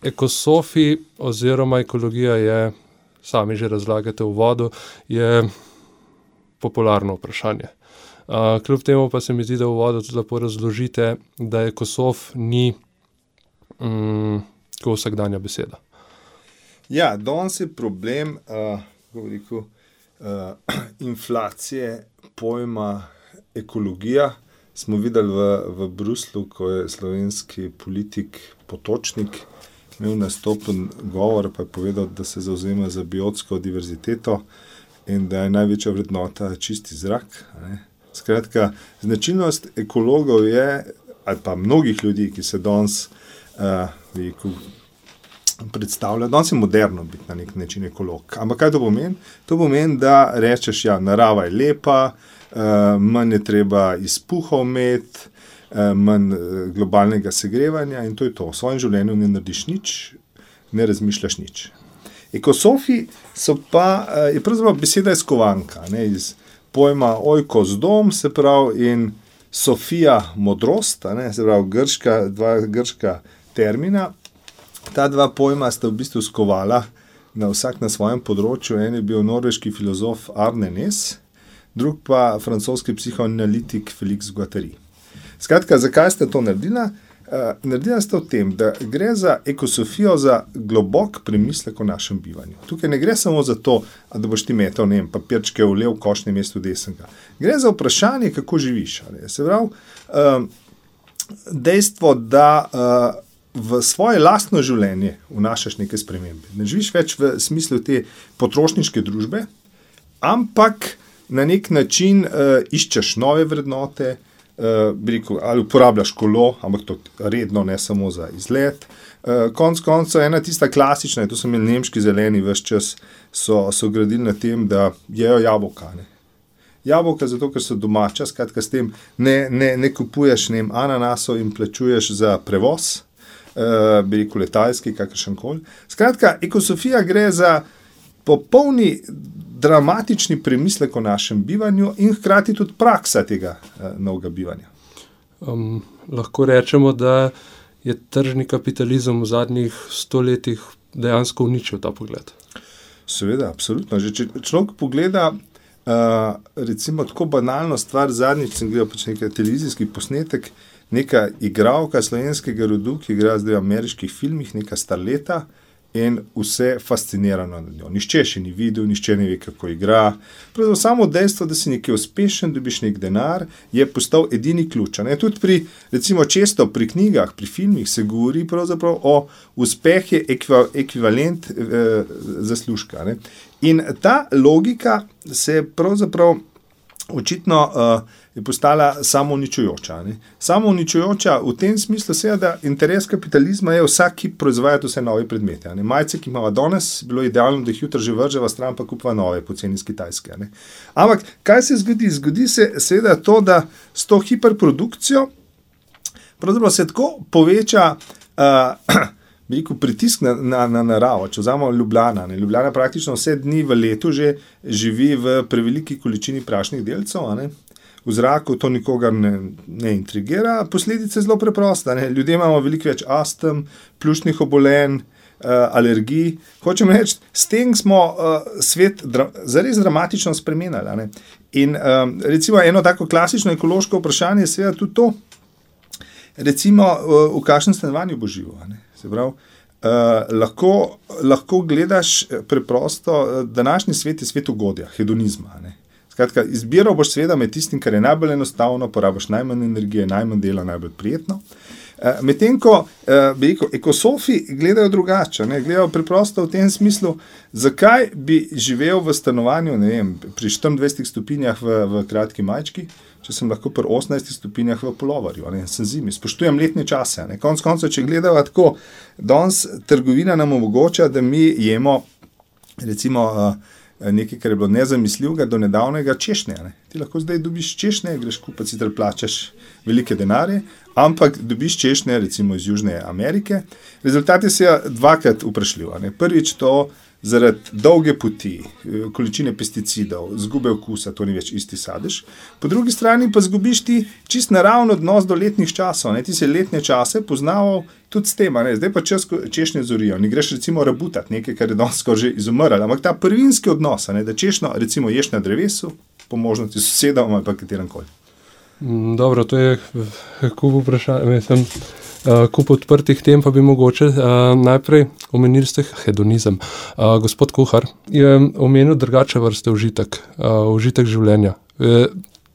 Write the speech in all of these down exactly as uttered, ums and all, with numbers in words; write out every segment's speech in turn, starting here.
ekosofi oziroma ekologija je, sami že razlagate v uvodu, je popularno vprašanje. Uh, kljub temu pa se mi zdi, da v uvodu tudi lepo razložite, da ekosof ni um, tako vsakdanja beseda. Ja, danes je problem uh, kako bi rekel, uh, inflacije pojma ekologija. Smo videli v, v Bruslu, ko je slovenski politik Potočnik imel nastopen govor, pa je povedal, da se zavzema za biotsko diverziteto in da je največja vrednota čisti zrak. Ne. Skratka, značilnost ekologov je, ali pa mnogih ljudi, ki se danes uh, predstavlja, danes je moderno biti na nek način ekolog. Ampak kaj to pomeni? To pomeni, da rečeš, ja, narava je lepa, uh, manj je treba izpuhov imeti, manj globalnega segrevanja in to je to. V svojem življenju ne narediš nič, ne razmišljaš nič. Ekosofi so pa, je pravzaprav beseda iz kovanka, ne, iz pojma oikos dom, se pravi, in Sofia modrost, ne, se pravi, grška, dva grška termina. Ta dva pojma sta v bistvu skovala na vsak na svojem področju. En je bil norveški filozof Arne Næss, drug pa francoski psihoanalitik Félix Guattari. Skratka, zakaj ste to naredila? Uh, naredila ste v tem, da gre za ekosofijo, za globok premislek o našem bivanju. Tukaj ne gre samo za to, da boš ti metal, ne vem, papirčke v lev, koš na mestu desnega. Gre za vprašanje, kako živiš. Ali? Se pravi, uh, dejstvo, da uh, v svoje lastno življenje vnašaš neke spremembe. Ne živiš več v smislu te potrošniške družbe, ampak na nek način uh, iščeš nove vrednote, Uh, bi rekel, ali uporabljaš kolo, ampak to redno, ne samo za izlet. Uh, konc koncev, ena tista klasična, to so imeli nemški zeleni ves čas, so, so gradili na tem, da jejo jabolka. Ne. Jabolka zato, ker so domača, skratka s tem ne, ne, ne kupuješ ne, ananasov in plačuješ za prevoz, uh, bi rekel letalski, kakršenkoli. Skratka, ekosofija gre za popolni dramatični premislek o našem bivanju in hkrati tudi praksa tega uh, novega bivanja. Um, lahko rečemo, da je tržni kapitalizem v zadnjih stoletjih dejansko uničil ta pogled. Seveda, absolutno. Že če človek pogleda uh, recimo tako banalno stvar, zadnjič sem gledal pač nekaj televizijski posnetek, neka igralka slovenskega rodu, ki igra zdaj v ameriških filmih, neka starleta, in vse fascinirano nad njo. Nišče še ni videl, nišče ne ve, kako igra. Pravzaprav samo dejstvo, da si nekaj uspešen, dobiš nek denar, je postal edini ključ. Ne? Tudi pri, recimo često pri knjigah, pri filmih se govori pravzaprav o uspeh je ekva, ekvivalent eh, zaslužka. Ne? In ta logika se pravzaprav očitno uh, je postala samouničujoča. Ne? Samouničujoča v tem smislu se je, da interes kapitalizma je vsak, ki proizvaja vse nove predmete. Ne? Majce, ki imamo danes, bilo idealno, da jih jutri že vrževa stran, pa kupa nove, poceni iz Kitajske. Ne? Ampak kaj se zgodi? Zgodi se seveda to, da s to hiperprodukcijo pravzaprav se tako poveča uh, bi rekel, pritisk na, na, na naravo. Če vzamemo Ljubljana. Ne? Ljubljana praktično vse dni v letu že živi v preveliki količini prašnih delcev. Ne? V zraku to nikogar ne, ne intrigira. Posledice zelo preprosta. Ne? Ljudje imamo veliko več astm, pljučnih obolenj, uh, alergij. Hočem reči, s tem smo uh, svet dra- zares dramatično spremenili. Ne? In um, recimo eno tako klasično ekološko vprašanje je seveda tudi to, recimo uh, v kakšnem stanovanju bo živo. Ne? Se pravi, uh, lahko, lahko gledaš preprosto, uh, današnji svet je svet ugodja, hedonizma. Ne? Skratka, izbiral boš seveda med tistim, kar je najbolj enostavno, porabiš najmanj energije, najmanj dela, najbolj prijetno. Uh, Medtem ko uh, bi rekel, ekosofi gledajo drugače, ne? Gledajo preprosto v tem smislu, zakaj bi živel v stanovanju, ne vem, pri štiriindvajsetih stopinjah v, v kratki majčki, če sem lahko pri osemnajstih stopinjah v puloverju, ne, sem zimi, spoštujem letne čase. Ne. Konec koncev, če gledava tako, danes trgovina nam omogoča, da mi jemo recimo nekaj, kar je bilo nezamisljivega do nedavnega češnje. Ne. Ti lahko zdaj dobiš češnje, greš kupiti, sicer plačaš velike denarje, ampak dobiš češnje recimo iz Južne Amerike. Rezultati so dvakrat vprašljivi. Prvič to zaradi dolge poti, količine pesticidov, zgube okusa, to ni več isti sadež. Po drugi strani pa zgubiš ti čist naravno odnos do letnih časov. Ne? Ti si letne čase poznaval tudi s tem, ne? Zdaj pa čas češnje zorijo. Ne greš recimo rabutati nekaj, kar je danes skoraj že izumrlo, ampak ta prvinski odnos, ne? Da češnjo recimo ješ na drevesu, po možnosti s sosedom ali pa katerem koli. Dobro, to je kup vprašanj, mislim, uh, kup odprtih tem, pa bi mogoče uh, najprej omenili ste hedonizem. Uh, gospod kuhar je omenil drugače vrste užitek, uh, užitek življenja. E,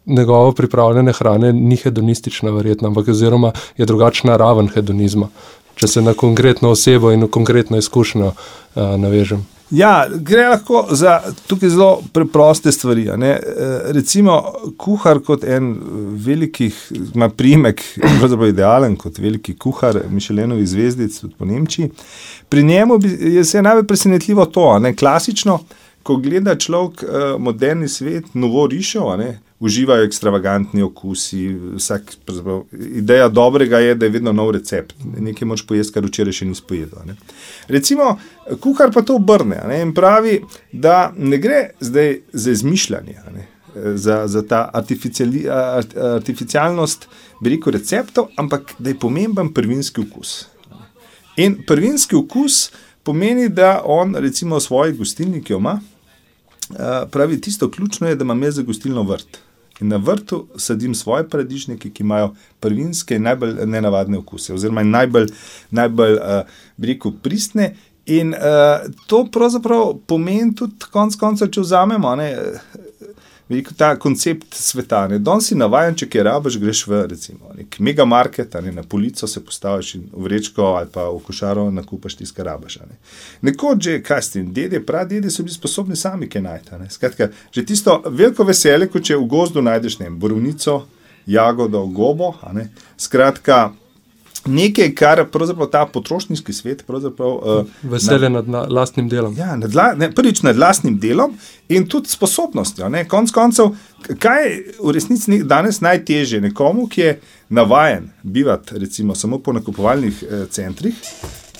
njegovo pripravljene hrane ni hedonistična verjetno, ampak oziroma je drugačna raven hedonizma, če se na konkretno osebo in konkretno izkušnjo uh, navežem. Ja, gre lahko za tukaj zelo preproste stvari. Ne? Recimo, kuhar kot en velikih, ima priimek, pravzaprav idealen kot veliki kuhar Michelinovih zvezdic, tudi po Nemčiji. Pri njemu je se najbolj presenetljivo to, ne? Klasično, ko gleda človek moderni svet, novo rišo, ne? Uživajo ekstravagantni okusi, vsak, ideja dobrega je, da je vedno nov recept. Nekaj moč pojesti, kar včeraj še nisi pojedel. Ne? Recimo, kuhar pa to obrne, ne? In pravi, da ne gre zdaj za izmišljanje, ne? Za, za ta artificiali, artificialnost, bi rekel, receptov, ampak da je pomemben prvinski okus. In prvinski okus pomeni, da on recimo v svoji gostilni, ki jo ima, pravi, tisto ključno je, da imam jaz za gostilno vrt. In na vrtu sadim svoje paradižnike, ki imajo prvinske in najbolj nenavadne okuse, oziroma najbolj, najbolj uh, bi rekel, pristne. In uh, to pravzaprav pomeni tudi konc koncev, če vzamemo, ne, veliko ta koncept sveta. Ne. Danes si navajen, če kaj rabiš, greš v recimo nek megamarket, ne, na polico se postaviš in v vrečko ali pa v košaro nakupaš tisto, kar rabiš. Ne. Nekoč že, kaj s tem, dede, pradede so bili sposobni sami kaj najti. Ne. Skratka, že tisto veliko veselje, kot če v gozdu najdeš ne, borovnico, jagodo, gobo, a ne. Skratka, nekaj, kar pravzaprav ta potrošniški svet pravzaprav... Uh, Veselje nad, nad lastnim delom. Ja, nad, ne, prvič nad lastnim delom in tudi sposobnostjo. Ne. Konc koncev, kaj je v resnici danes najtežje nekomu, ki je navajen bivati recimo samo po nakupovalnih eh, centrih,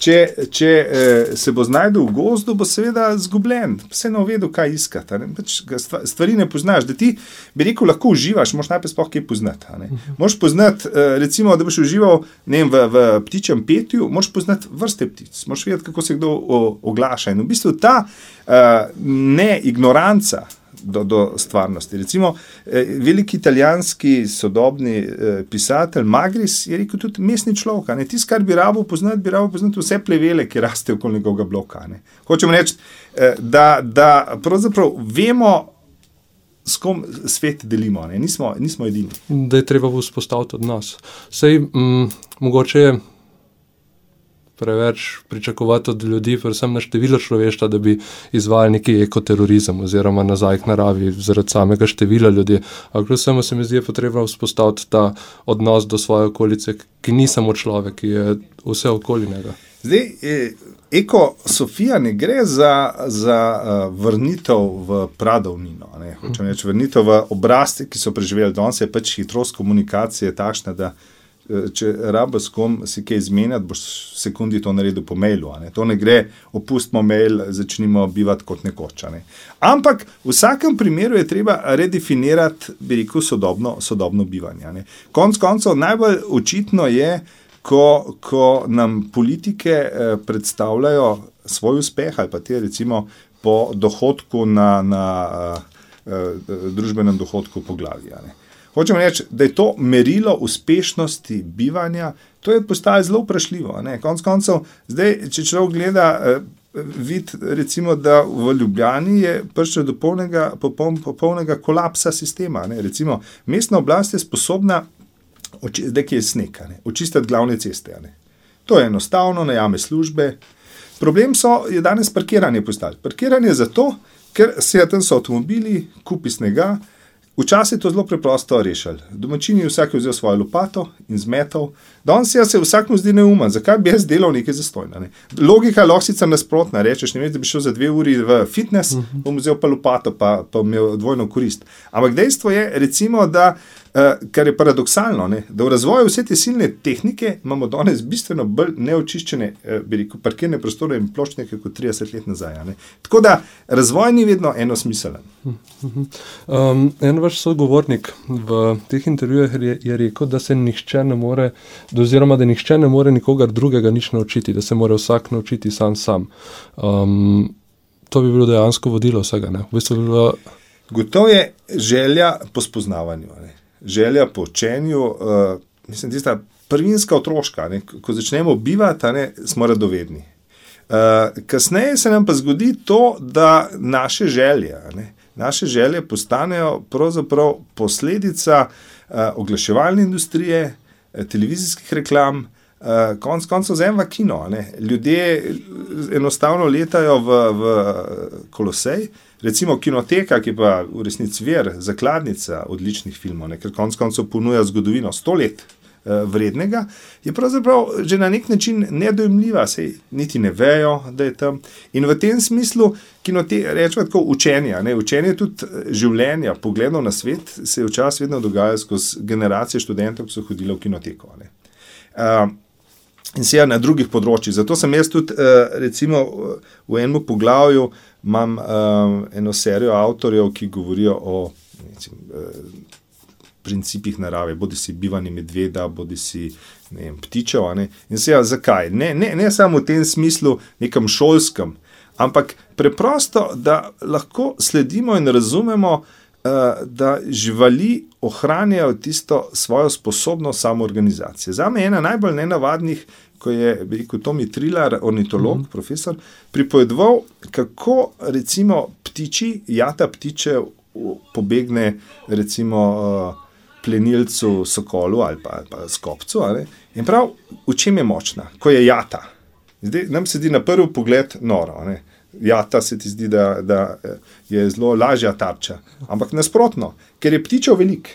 če, če eh, se bo znajdel v gozdu, bo seveda zgubljen, vse ne vedo, kaj iskati. Ne. Pač stvari ne poznaš, da ti, bi rekel, lahko uživaš, moraš najprej sploh kaj poznati. Ne. Moraš poznati, eh, recimo, da boš užival ne vem, v, v ptičjem petju, moraš poznati vrste ptic, moraš vedeti, kako se kdo o, oglaša. In v bistvu ta eh, ne ignoranca Do, do stvarnosti. Recimo, eh, veliki italijanski sodobni eh, pisatelj Magris je rekel tudi mestni človek. Tisto, kar bi rabo poznati, bi rabo poznati vse plevele, ki raste okoli njegovega bloka. Ne. Hočemo reči, eh, da, da pravzaprav vemo, s kom svet delimo. Ne. Nismo, nismo edini. Da je treba vzpostaviti od nas. Sej, m, mogoče je preveč pričakovati od ljudi, predvsem na število človeštva, da bi izvajali neki ekoterorizem oziroma nazaj k naravi zaradi samega števila ljudi. Ampak kljub vsemu se mi zdi, je potrebno vzpostaviti ta odnos do svoje okolice, ki ni samo človek, ki je vse okoli njega. Zdaj, ekosofija ne gre za, za uh, vrnitev v pradavnino. Ne? Hočem reči, vrnitev v obrazce, ki so preživeli danes, je pač hitrost komunikacije takšna, da če rabiš s kom si kaj izmenjati, boš v sekundi to naredil po mailu. Ne? To ne gre, opustimo mail, začnimo bivati kot nekoč. Ne? Ampak v vsakem primeru je treba redefinirati, bi rekel, sodobno, sodobno bivanje. Ne? Konc koncev najbolj očitno je, ko, ko nam politike eh, predstavljajo svoj uspeh ali pa te recimo po dohodku na, na eh, družbenem dohodku po glavi. Ne? Hočem reči, da je to merilo uspešnosti bivanja, to je postalo zelo vprašljivo. Ne? Konc koncev, zdaj, če človek gleda, eh, vid recimo, da v Ljubljani je prišlo do polnega, popoln, popolnega kolapsa sistema. Ne? Recimo, mestna oblast je sposobna, zdaj ki je sneg, očistiti glavne ceste. Ne? To je enostavno, najame službe. Problem so, je danes parkiranje postalo. Parkiranje zato, ker se tam so avtomobili, kupi snega, Včasih je to zelo preprosto rešili. Domačini vsak je vzel svojo lopato in zmetal. Danes se vsak mu zdi neumen, zakaj bi jaz delal nekaj zastojno. Ne? Logika lahko sicer nasprotna, rečeš, ne vem, da bi šel za dve uri v fitness, bom vzel pa lopato, pa, pa imel dvojno korist. Ampak dejstvo je, recimo, da Uh, kar je paradoksalno, ne? Da v razvoju vse te silne tehnike imamo danes bistveno bolj neočiščene uh, bi rekel, parkirne prostore in pločnike kot trideset let nazaj. Ne? Tako da razvoj ni vedno enosmiselen. Um, en vaš sogovornik v teh intervjujih je, je rekel, da se nihče ne more, oziroma da nihče ne more nikogar drugega nič naučiti, da se mora vsak naučiti sam sam. Um, to bi bilo dejansko vodilo vsega. Ne? V bistvu bi bilo... Gotovo je želja po spoznavanju, ne? Želja po učenju, uh, mislim, tista prvinska otroška, ne, ko začnemo bivati, ne, smo radovedni. Uh, kasneje se nam pa zgodi to, da naše želje, ne, naše želje postanejo pravzaprav posledica uh, oglaševalne industrije, televizijskih reklam, uh, konc koncev vzema kino. Ne. Ljudje enostavno letajo v, v Kolosej, recimo Kinoteka, ki pa v resnici vir, zakladnica odličnih filmov, ne, ker konc koncev ponuja zgodovino sto let eh, vrednega, je pravzaprav že na nek način nedojemljiva, sej niti ne vejo, da je tam. In v tem smislu Kinoteka, rečemo tako, učenja, ne, učenje tudi življenja, pogledov na svet, se je včasih vedno dogajalo skozi generacije študentov, ki so hodili v Kinoteko. Ne. Uh, in se na drugih področjih. Zato sem jaz tudi, uh, recimo, v enem poglavju imam um, eno serijo avtorjev, ki govorijo o recimo, uh, principih narave, bodi si bivanje medveda, bodi si ne vem, ptičev. Ne? In se ja, zakaj? Ne, ne, ne samo v tem smislu nekem šolskem, ampak preprosto, da lahko sledimo in razumemo, uh, da živali ohranjajo tisto svojo sposobnost samoorganizacije. Zame je ena najbolj nenavadnih, ko je rekel Tomi Trilar, ornitolog, mm-hmm. profesor, pripovedoval, kako recimo ptiči, jata ptiče pobegne recimo plenilcu, sokolu ali pa, ali pa skopcu. Ali? In prav, v čem je močna? Ko je jata. Zdaj, nam se zdi na prvi pogled noro. Ne? Jata se ti zdi, da, da je zelo lažja tarča. Ampak nasprotno, ker je ptičev velik,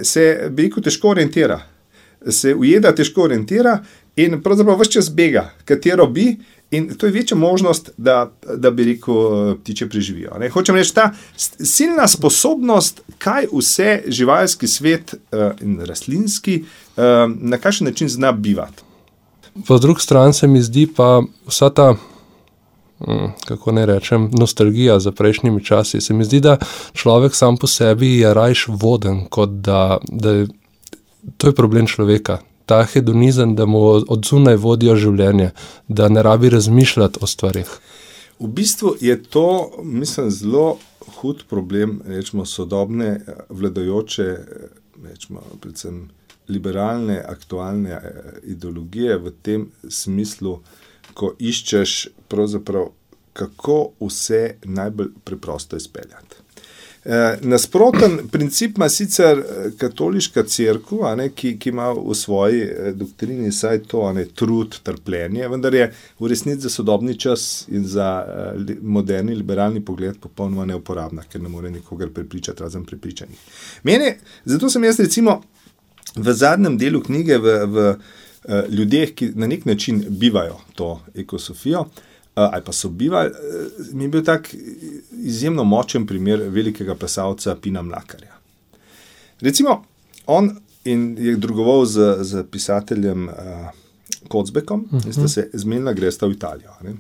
se bi rekel težko orientira. Se ujeda težko orientira in pravzaprav ves čas bega, katero bi, in to je večja možnost, da, da bi rekel, ptiče preživijo. Ne? Hočem reči, ta silna sposobnost, kaj vse živalski svet uh, in rastlinski, uh, na kakšen način zna bivati. Po drugi strani se mi zdi pa vsa ta, kako ne rečem, nostalgija za prejšnjimi časi. Se mi zdi, da človek sam po sebi je rajš voden, kot da, da je, to je problem človeka. Ta hedonizem, da mu od zunaj vodijo življenje, da ne rabi razmišljati o stvarih. V bistvu je to, mislim, zelo hud problem, rečemo, sodobne vladajoče, rečemo, predvsem liberalne, aktualne ideologije v tem smislu, ko iščeš pravzaprav, kako vse najbolj preprosto izpeljati. E, nasproten princip ima sicer katoliška cerkev, ki, ki ima v svoji doktrini saj to, ne, trud, trpljenje, vendar je v resnici za sodobni čas in za uh, moderni liberalni pogled popolnoma neuporabna, ker ne more nikogar prepričati, razen prepričanih. Mene, zato sem jaz recimo v zadnjem delu knjige v, v uh, ljudeh, ki na nek način bivajo to ekosofijo, Uh, ali pa so bivali, uh, mi je bil tak izjemno močen primer velikega plesalca Pina Mlakarja. Recimo, on in je drugoval z, z pisateljem uh, Kocbekom, uh-huh. in sta se zmenila, gresta v Italijo. Ne?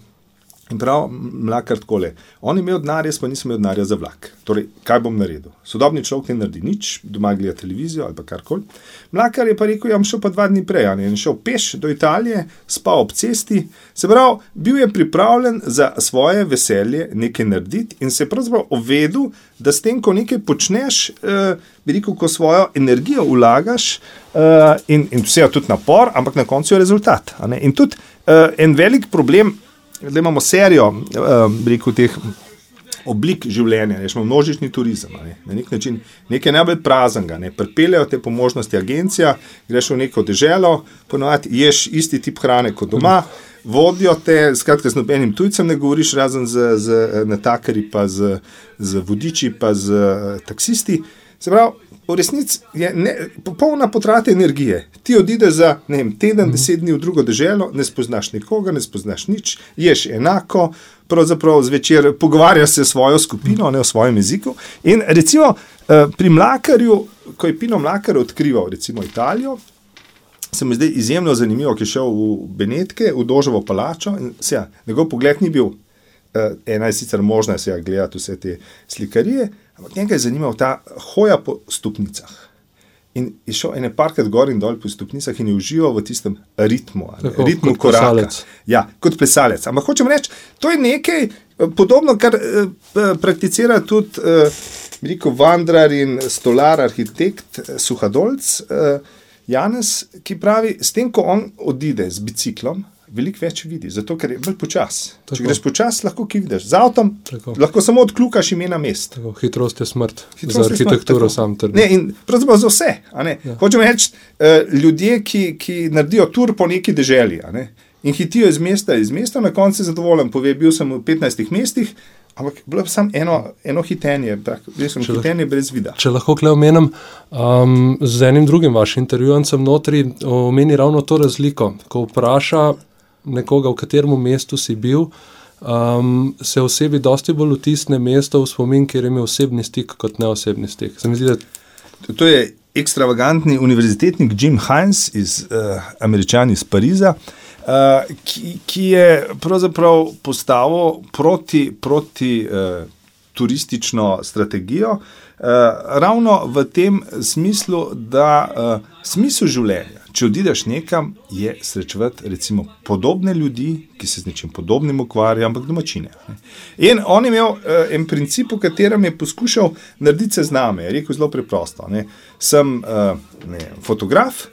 In prav Mlakar takole, on je imel denar, jaz pa nisem imel denarja za vlak. Torej, kaj bom naredil? Sodobni človek ne naredi nič, doma gleda televizijo ali pa karkoli. Mlakar je pa rekel, ja, bom šel pa dva dni prej, ne? In šel peš do Italije, spal ob cesti, se pravi, bil je pripravljen za svoje veselje nekaj narediti in se pravzaprav uvedel, da s tem, ko nekaj počneš, eh, bi rekel, ko svojo energijo vlagaš eh, in, in vse je tudi napor, ampak na koncu je rezultat. A ne? In tudi eh, en velik problem, da imamo serijo uh, rekel, teh oblik življenja, rečemo množični turizem, ne, na nek način nekaj najbolj praznega, ne, pripeljejo te po možnosti agencija, greš v neko deželo, ponovadi ješ isti tip hrane kot doma, vodijo te, skratka z nobenim tujcem ne govoriš, razen z, z natakarji, pa z, z vodiči, pa z taksisti. Se pravi, v resnici je ne, popolna potrata energije. Ti odideš za ne vem, teden, deset dni v drugo deželo, ne spoznaš nikoga, ne spoznaš nič, ješ enako, pravzaprav zvečer pogovarjaš se s svojo skupino, ne o svojem jeziku. In recimo pri Mlakarju, ko je Pino Mlakar odkrival recimo Italijo, se mi zdaj izjemno zanimivo, ki je šel v Benetke, v Dožovo palačo in se ja, njegov pogled ni bil, ena je sicer možna se ja gledati vse te slikarije, ampak njega je zanimal ta hoja po stopnicah. In je šel ene parkrat gor in dol po stopnicah in je užival v tistem ritmu, Tako, ritmu kot koraka. plesalec. Ja, kot plesalec. Ampak hočem reči, to je nekaj podobno, kar eh, prakticira tudi eh, rekel, vandrar in stolar, arhitekt eh, Suhadolc, eh, Janez, ki pravi, s tem, ko on odide z biciklom, veliko več vidi, zato ker je bolj počas. Tako. Če greš počas, lahko kaj vidiš. Z avtom Tako. lahko samo odkljukaš imena mest. Tako, hitrost je smrt. Hitrost Za je smrt, arhitekturo tako. sam trdim. Ne, in pravzaprav za vse. A ne? Ja. Hočem reči, eh, ljudje, ki, ki naredijo tur po neki deželi, a ne? In hitijo iz mesta, iz mesta, na koncu je zadovoljen, pove, bil sem v petnajstih mestih, ampak bilo je samo eno, eno hitenje, bil sem Če hitenje brez vida. Če lahko kle omenim, um, z enim drugim vašim intervjujem sem notri omeni ravno to razliko, ko vpraša nekoga, v katerem mestu si bil, um, se osebi dosti bolj vtisne mesto v spomin, kjer je imel osebni stik kot neosebni stik. Se mi zdi, da To je ekstravagantni univerzitetnik Jim Hines, iz, uh, Američan iz Pariza, uh, ki, ki je pravzaprav postavil proti, proti uh, turistično strategijo, uh, ravno v tem smislu, da uh, smisel življenja, če odideš nekam, je srečevati recimo podobne ljudi, ki se z nečim podobnim ukvarjajo, ampak domačine. Ne. In on je imel uh, en princip, v katerem je poskušal narediti sezname. Je rekel zelo preprosto. Ne. Sem uh, ne, fotograf,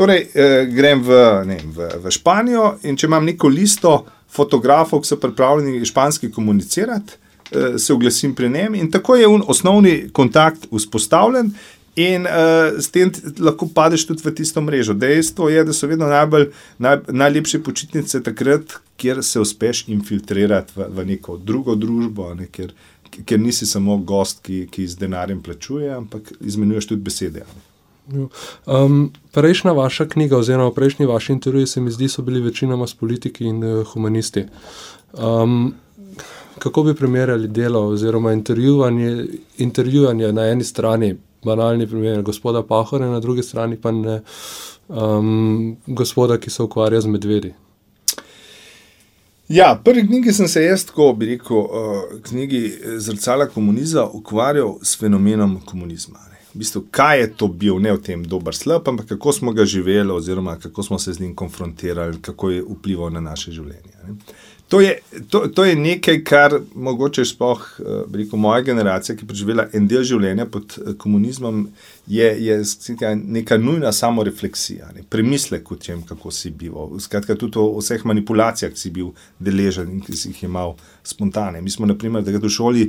torej uh, grem v, ne, v, v Španijo in če imam neko listo fotografov, ki so pripravljeni španski komunicirati, uh, se oglasim pri njem in tako je un osnovni kontakt vzpostavljen. In uh, s tem lahko padeš tudi v tisto mrežo. Dejstvo je, da so vedno najbolj, naj, najlepše počitnice takrat, kjer se uspeš infiltrirati v, v neko drugo družbo, ne, kjer, kjer nisi samo gost, ki, ki z denarjem plačuje, ampak izmenjuješ tudi besede. Um, prejšnja vaša knjiga oziroma prejšnji vaši intervjuji se mi zdi, so bili večinoma s politiki in uh, humanisti. Um, kako bi primerjali delo oziroma intervjuvanje, intervjuvanje na eni strani, banalni primer gospoda Pahorja, na drugi strani pa ne um, gospoda, ki se ukvarja z medvedi? Ja, prvi knjigi sem se jaz, tako bi rekel, uh, knjigi Zrcala komunizma ukvarjal s fenomenom komunizma. Ne. V bistvu, kaj je to bil, ne v tem dober slab, ampak kako smo ga živeli oziroma kako smo se z njim konfrontirali, kako je vplival na naše življenje. Ne. To je, to, to je nekaj, kar mogoče sploh, bi rekel, moja generacija, ki je preživela en del življenja pod komunizmom, je, je neka nujna samorefleksija, ne, premislek o tem, kako si bival. Skratka, tudi o vseh manipulacijah, ki si bil deležen in ki si jih imel spontane. Mi smo, na primer, takrat v šoli,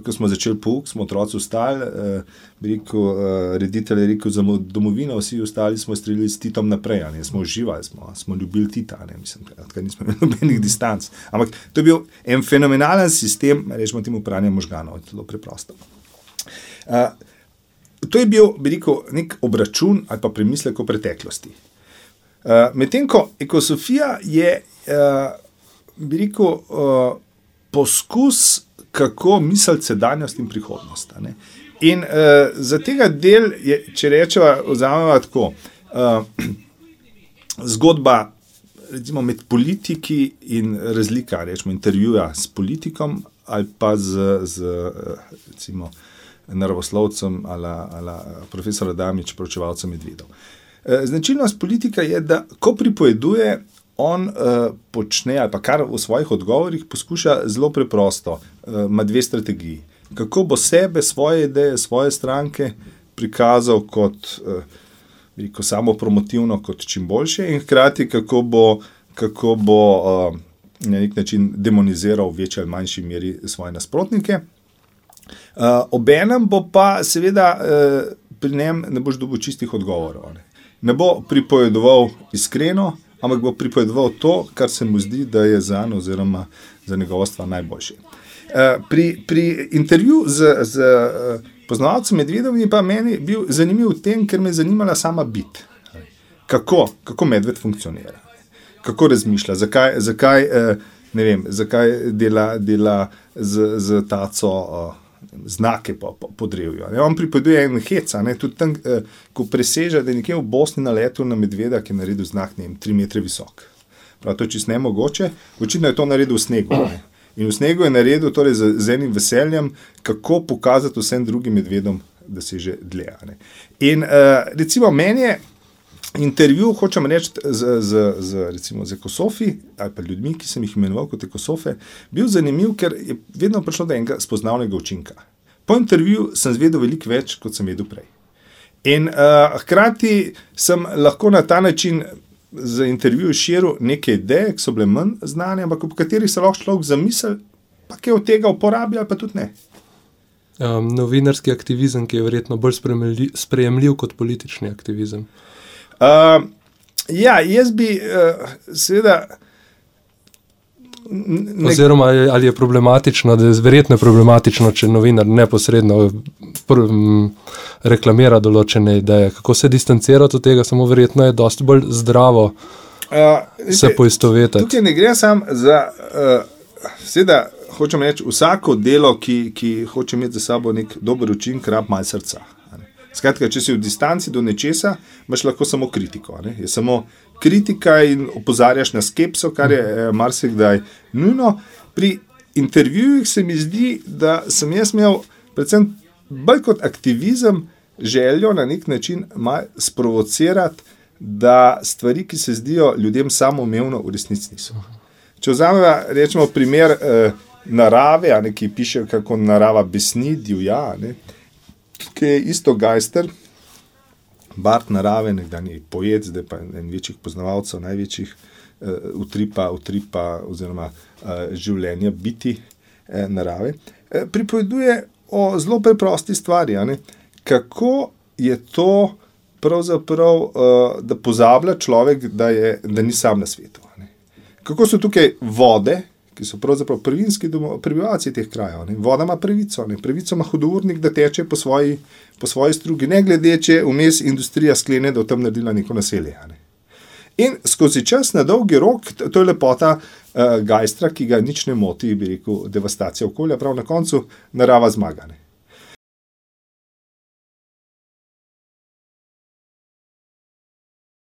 ko smo začeli pouk, smo otroci vstali, eh, bi rekel, eh, reditelj je rekel za domovino, vsi ostali smo streljali s Titom naprej, ne, smo uživali, smo, smo ljubili Tita, ne, mislim, da nismo imeli nobenih distanc. Ampak to je bil en fenomenalen sistem, rečemo temu pranja možganov, zelo preprosto. Uh, to je bil, bi rekel, nek obračun ali pa premislek o preteklosti. Uh, Medtem ko ekosofija je, uh, bi rekel, uh, poskus, kako misliti sedanjost in prihodnost. Ne? In uh, za tega del, je, če rečeva, vzameva tako, uh, zgodba recimo med politiki in razlika, rečemo, intervjuja s politikom ali pa z, z recimo, naravoslovcem ali, ali profesor Adamič, proučevalcem medvedov. Značilnost politika je, da ko pripoveduje, on uh, počne, ali pa kar v svojih odgovorih poskuša zelo preprosto, uh, ima dve strategiji. Kako bo sebe, svoje ideje, svoje stranke prikazal kot uh, veliko samo promotivno, kot čim boljše in hkrati kako bo, kako bo uh, na nek način demoniziral v večji ali manjši meri svoje nasprotnike. Uh, obenem bo pa seveda uh, pri njem ne boš dobil čistih odgovorov. Ne, ne bo pripovedoval iskreno, ampak bo pripovedoval to, kar se mu zdi, da je zanj oziroma za njegovo stvar najboljše. Uh, pri, pri intervju z, z uh, poznavalcem medvedov je pa meni bil zanimiv v tem, ker me je zanimala sama bit. Kako, kako medved funkcionira, kako razmišlja, zakaj, zakaj, ne vem, zakaj dela, dela z, z taco znake po, po, po drevju. On pripoveduje en heca, ne, tudi tam, ko preseže, da je nekje v Bosni naletel na medveda, ki je naredil znak, ne vem, tri metre visok. Prav, to je čisto nemogoče. Očitno je to naredil v snegu. Ne. In v snegu je naredil torej z, z enim veseljem, kako pokazati vsem drugim medvedom, da se že dlje. Ne. In uh, recimo meni je intervju, hočem reči, z, z, z, recimo, z ekosofi, ali pa ljudmi, ki sem jih imenoval kot ekosofe, bil zanimiv, ker je vedno prišlo do enega spoznavnega učinka. Po intervju sem zvedel veliko več, kot sem vedel prej. In uh, hkrati sem lahko na ta način za intervju širil neke ideje, ki so bile manj znane, ampak po katerih se lahko človek zamisel, pa kaj od tega uporablja, ali pa tudi ne. Um, novinarski aktivizem, ki je verjetno bolj sprejemljiv kot politični aktivizem. Uh, ja, jaz bi uh, seveda... Ne... Oziroma, ali je problematično, da je verjetno problematično, če novinar neposredno pr, m, reklamira določene ideje. Kako se distancirati od tega, samo verjetno je dosti bolj zdravo uh, se poistovetiti. Tukaj ne gre sam za, uh, seveda, hočem reči, vsako delo, ki, ki hoče imeti za sabo nek dober učinek, rab malo srca. Skratka, če si v distanci do nečesa, imaš lahko samo kritiko. Ne? Je samo kritika in opozarjaš na skepso, kar je eh, marsikdaj nujno. Pri intervjujih se mi zdi, da sem jaz imel predvsem bolj kot aktivizem željo na nek način malo sprovocirati, da stvari, ki se zdijo ljudem samoumevno, v resnici niso. Če vzamemo, rečemo, primer eh, narave, a ne, ki piše, kako narava besni, divja, ne, ki je isto Geister, Bart narave, nekdanji poet, zdaj pa en večjih poznavalcev, največjih uh, utripa, utripa oziroma uh, življenja biti eh, narave, eh, pripoveduje o zelo preprosti stvari, ne? Kako je to pravzaprav, uh, da pozablja človek, da, je, da ni sam na svetu. Ne? Kako so tukaj vode, ki so pravzaprav prvinski prebivalci teh krajev. Ne? Voda ima pravico, ne? Pravico ima hudournik, da teče po svoji, po svoji strugi, ne glede, če vmes industrija sklene, da v tem naredila neko naselje. Ne? In skozi čas na dolgi rok, to je lepota uh, Geistra, ki ga nič ne moti, bi rekel, devastacija okolja, prav na koncu narava zmaga. Ne?